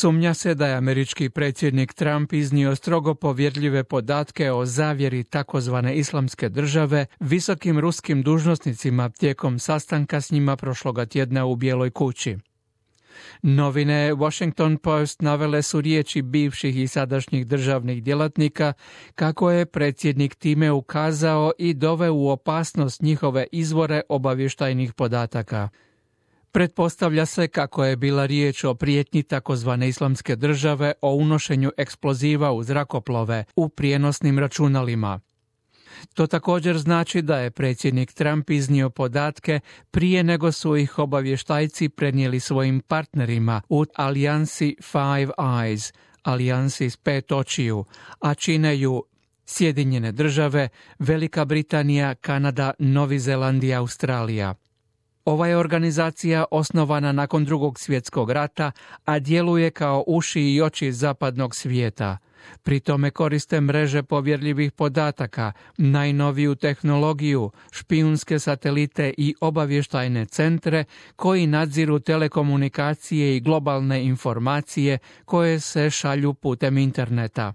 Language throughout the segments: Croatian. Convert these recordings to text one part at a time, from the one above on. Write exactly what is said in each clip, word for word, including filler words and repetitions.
Sumnja se da je američki predsjednik Trump iznio strogo povjerljive podatke o zavjeri takozvane islamske države visokim ruskim dužnosnicima tijekom sastanka s njima prošloga tjedna u Bijeloj kući. Novine Washington Post navele su riječi bivših i sadašnjih državnih djelatnika kako je predsjednik time ukazao i doveo u opasnost njihove izvore obavještajnih podataka. Pretpostavlja se kako je bila riječ o prijetnji takozvane islamske države o unošenju eksploziva u zrakoplove u prijenosnim računalima. To također znači da je predsjednik Trump iznio podatke prije nego su ih obavještajci prenijeli svojim partnerima u alijansi Five Eyes, alijansi s pet očiju, a čine ju Sjedinjene države, Velika Britanija, Kanada, Novi Zeland i Australija. Ova je organizacija osnovana nakon Drugog svjetskog rata, a djeluje kao uši i oči zapadnog svijeta. Pri tome koriste mreže povjerljivih podataka, najnoviju tehnologiju, špijunske satelite i obavještajne centre koji nadziru telekomunikacije i globalne informacije koje se šalju putem interneta.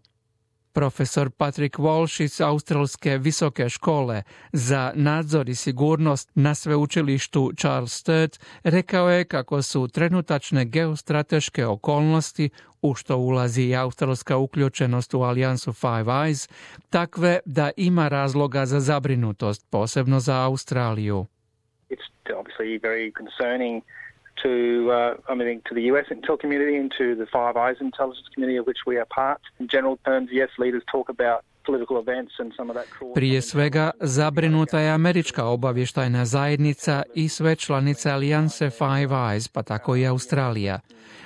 Profesor Patrick Walsh iz Australske visoke škole za nadzor i sigurnost na sveučilištu Charles Sturt rekao je kako su trenutačne geostrateške okolnosti, u što ulazi i australska uključenost u alijansu Five Eyes, takve da ima razloga za zabrinutost, posebno za Australiju. It's obviously very concerning to, uh, I mean, to the U S intel community and to the Five Eyes intelligence community of which we are part. In general terms, yes, leaders talk about political events and some of that. Prije svega, zabrinuta je američka obavještajna zajednica i sve članice alijanse Five Eyes, pa tako i Australija.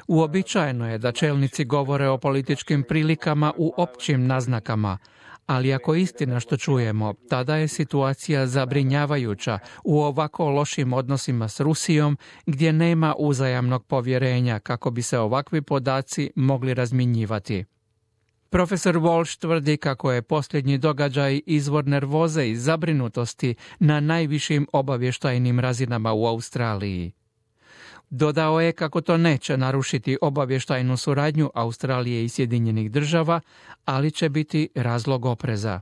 Uobičajeno je da čelnici govore o političkim prilikama u općim naznakama, ali ako je istina što čujemo, tada je situacija zabrinjavajuća u ovako lošim odnosima s Rusijom, gdje nema uzajamnog povjerenja kako bi se ovakvi podaci mogli razmjenjivati. Profesor Walsh tvrdi kako je posljednji događaj izvor nervoze i zabrinutosti na najvišim obavještajnim razinama u Australiji. Dodao je kako to neće narušiti obavještajnu suradnju Australije i Sjedinjenih država, ali će biti razlog opreza.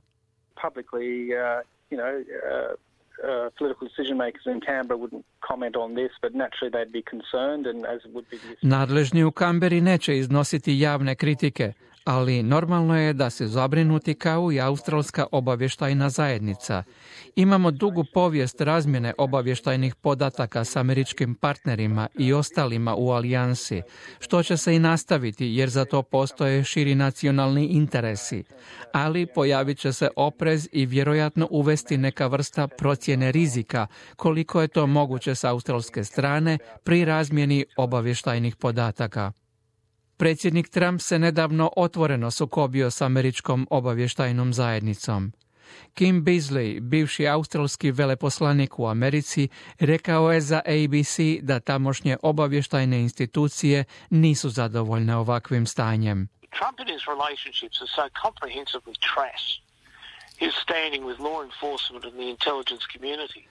Publicly, uh, you know, uh, uh, political decision makers in Canberra wouldn't comment on this, but naturally they'd be concerned, and as would be the... Nadležni u Canberri neće iznositi javne kritike, ali normalno je da se zabrinuti kao i australska obavještajna zajednica. Imamo dugu povijest razmjene obavještajnih podataka s američkim partnerima i ostalima u alijansi, što će se i nastaviti jer za to postoje širi nacionalni interesi, ali pojavit će se oprez i vjerojatno uvesti neka vrsta procjene rizika koliko je to moguće s australske strane pri razmjeni obavještajnih podataka. Predsjednik Trump se nedavno otvoreno sukobio s američkom obavještajnom zajednicom. Kim Beazley, bivši australski veleposlanik u Americi, rekao je za A B C da tamošnje obavještajne institucije nisu zadovoljne ovakvim stanjem. Trump and his relationships are so comprehensively trash. His standing with law enforcement and the intelligence community.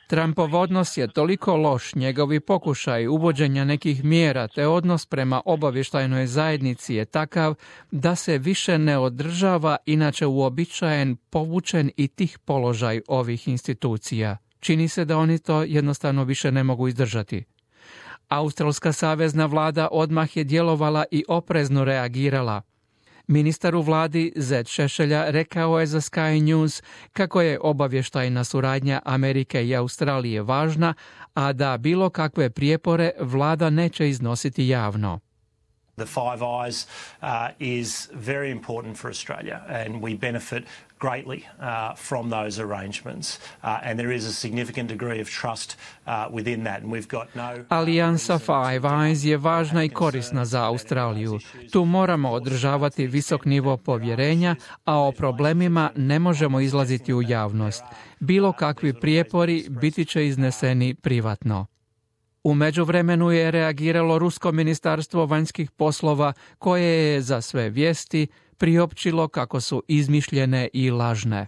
Trumpov odnos je toliko loš, njegovi pokušaj uvođenja nekih mjera te odnos prema obavještajnoj zajednici je takav da se više ne održava inače uobičajen, povučen i tih položaj ovih institucija. Čini se da oni to jednostavno više ne mogu izdržati. Australska savezna vlada odmah je djelovala i oprezno reagirala. Ministar u vladi Zed Šešelja rekao je za Sky News kako je obavještajna suradnja Amerike i Australije važna, a da bilo kakve prijepore vlada neće iznositi javno. The Five Eyes uh, is very important for Australia and we benefit greatly uh, from those arrangements uh, and there is a significant degree of trust uh, within that and we've got no... Alijansa Five Eyes je važna i korisna za Australiju. Tu moramo održavati visok nivo povjerenja, a o problemima ne možemo izlaziti u javnost. Bilo kakvi prijepori biti će izneseni privatno. U međuvremenu je reagiralo Rusko ministarstvo vanjskih poslova koje je za sve vijesti priopćilo kako su izmišljene i lažne.